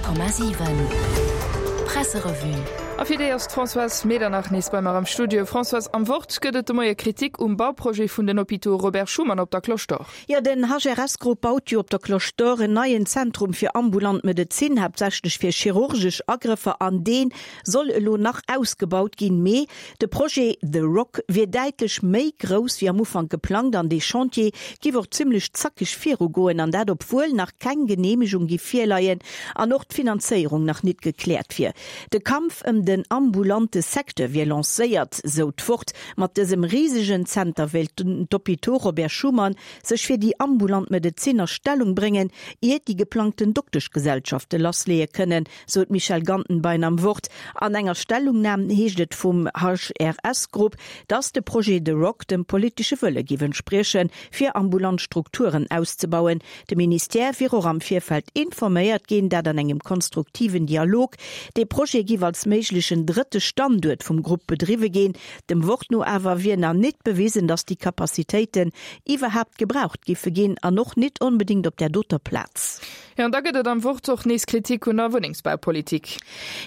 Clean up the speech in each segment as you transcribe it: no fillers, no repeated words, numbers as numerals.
100,7 Presserevue. A fir déi ass d'Françoise Medernach nees bei mer am Studio. Françoise, am Wort gëtt et de Moie Kritik um Bauprojet vun den Hôpitaux Robert Schuman op der Cloche d'Or. Jo, den HRS-Grupp baut jo op der Cloche d'Or en neien Zentrum fir ambulant Medezin, haaptsächlech fir chirurgesch Agrëffer, an dee soll elo nach ausgebaut ginn. Mee De Projet The Rock wier däitlech méi grouss wéi am Ufank geplangt an dee Chantier giff och zimmlech zackeg virugoen, an dat obwuel nach keng Geneemegung giff virleien an och d'Finanzéierung nach nit gekläert wier. De Kampf ëm den ambulante Secteur wier lancéiert, sou d'Wort. Mat dësem risegen Zenter wéilt d'Hôpitaux Robert Schuman sech fir déi ambulant Medezin a Stellung bréngen, ier déi geplangten Dokteschgesellschafte lassleeë kënnen. sou d'Michèle Gantenbein am Wort. An enger Stellungnam heescht et vum HRS-Grupp, datt de Projet The Rock dem politesche Wëlle giff entspriechen, fir ambulant Strukturen auszebauen. De Ministère wier och am Virfeld informéiert ginn, dat an engem konstruktiven Dialog. Dee Projet giff als méiglechen drëtte Standuert vum Grupp bedriwwe ginn. Dem Wort no awer wier nach nit bewisen, datt déi Capacitéiten iwwerhaapt gebraucht giffe ginn an och nit onbedéngt op där doter Plaz. Jo, an da gëtt et am Wort och nees Kritik un der Wunnengsbaupolitik.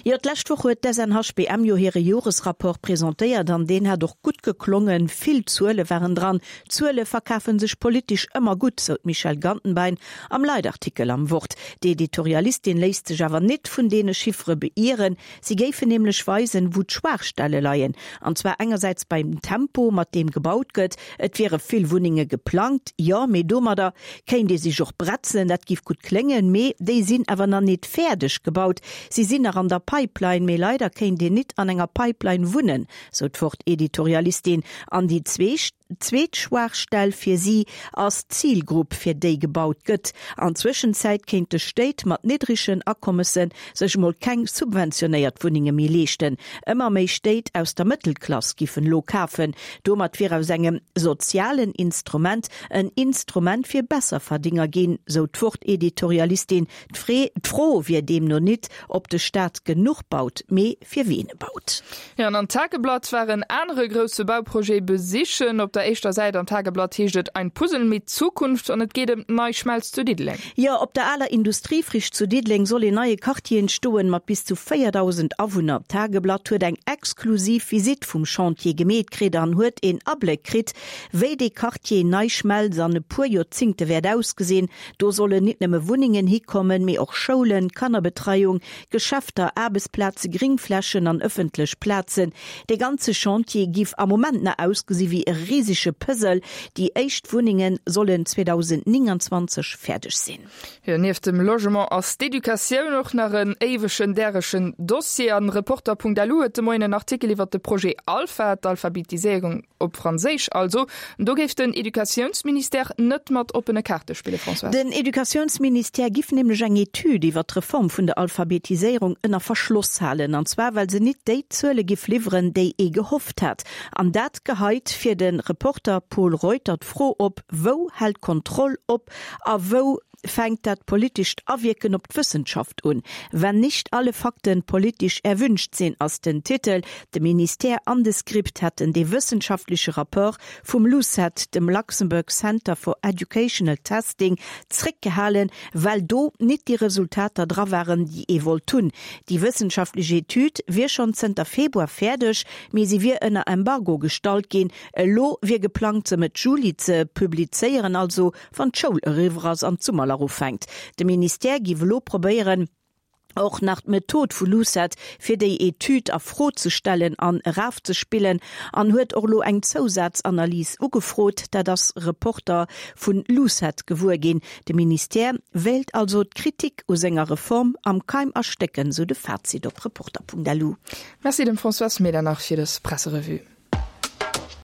Jo, d'lescht Woch huet d'SNHBM jo hire Joresrapport presentéiert an deen hat och gutt geklongen. Vill Zuele waren dran. Zuele verkafe sech politesch ëmmer gutt, sou d'Michèle Gantenbein am Leitartikel am Wort. D'Editorialistin léisst sech awer nit vun deene Chiffere beieren. Si géifen nämlech weisen, wou d'Schwaachstelle leien. An zwar engersäits beim Tempo, mat deem gebaut gëtt. Et wiere vill Wunnenge geplangt, jo, mee domadder kéint ee sech och bretzen, dat giff gutt kléngen, mee déi sinn awer nach nit fäerdeg gebaut. Si sinn nach an der Pipeline, mee leider kéint een nit an enger Pipeline wunnen, sou d'Wort-Editorialistin. An déi zweet Schwaachstell fir si ass d'Zilgrupp, fir déi gebaut gëtt. An Zwëschenzäit kéinte Stéit mat niddregen Akommesse sech mol keng subventionéiert Wunnenge méi leeschten. Ëmmer méi Stéit aus der Mëttelklass giffen elo kafen. Domat wier aus engem sozialen Instrument en Instrument fir Besserverdinger ginn, sou d'Wort-Editorialistin. D'Fro wier deemno nit, ob de Staat genuch baut, mee fir wien e baut. Jo, an am Tageblatt war en anere grousse Bauprojet besichen. Op der éischter Säit am Tageblatt heescht et Ein Puzzle mit Zukunft an et geet ëm d'Nei Schmelz zu Diddeleng. Jo, op der aler Industriefriche zu Diddeleng soll een neie Quartier entstoen, mat bis zu 4.000 Awunner. D'Tageblatt huet eng exklusiv Visitt vum Chantier gemeet kritt an huet een Abléck kritt, wéi dee Quartier Nei Schmelz an e puer Joerzingte wäert ausgesinn. Do sollen nit nëmme Wunnengen hikommen, mee och Schoulen, Kannerbetreiung, Geschäfter, Aarbechtsplaze, Gringflächen an ëffentlech Plazen. Dee ganze Chantier giff am Moment nach ausgesi wéi e risege Puzzle. Déi éischt Wunnenge sollen 2029 fäerdeg sinn. Jo, nieft dem Logement ass d'Educatioun och nach en éiwegen, däregen Dossier. An Reporter.lu huet de Moien en Artikel iwwert de Projet Alpha, d'Alphabetiséierung Op Franséisch also. Do géif den Educatiounsministère net mat oppene Kaarte spillen, Françoise. Den Educatiounsministère giff nämlech eng Etüd iwwer d'Reform vun der Alphabetiséierung ënner Verschloss halen. An zwar well se nit déi Zuele giff liwweren, déi ee gehofft hat. An dat geheit fir de Reporter Pol Reuter d'Fro op, Wou hält d'Kontroll op a wou fänkt dat politescht Awierken op d'Wëssenschaft un. Wenn nicht alle Fakten politisch erwünscht sinn, ass den Titel. De Ministère an de Script hätten dee wëssenschaftleche Rapport vum LUCET, dem Luxembourg Center for Educational Testing, zréckgehalen, well do nit déi Resultater dra waren, déi ee wollt hunn. Déi wëssenschaftlech Etüd wier schonn zënter Februar fäerdeg, mee se wier ënner Embargo gestallt ginn. Elo wier geplangt, se Mëtt Juli ze publizéieren, also wann d'Schoul eriwwer ass an d'Summerlach ufänkt. De Ministère géif elo probéieren, och nach d'Method vu LUCET fir déi Etüd a Fro ze stellen an erafzespillen an huet och elo eng Zousazanalys ugefrot. Dat ass Reporter vun LUCET gewuer ginn. De Ministère wéilt also d'Kritik u senger Reform am Keim erstécken, sou de Fazit op Reporter.lu. Merci dem Françoise Medernach fir dës Presserevue.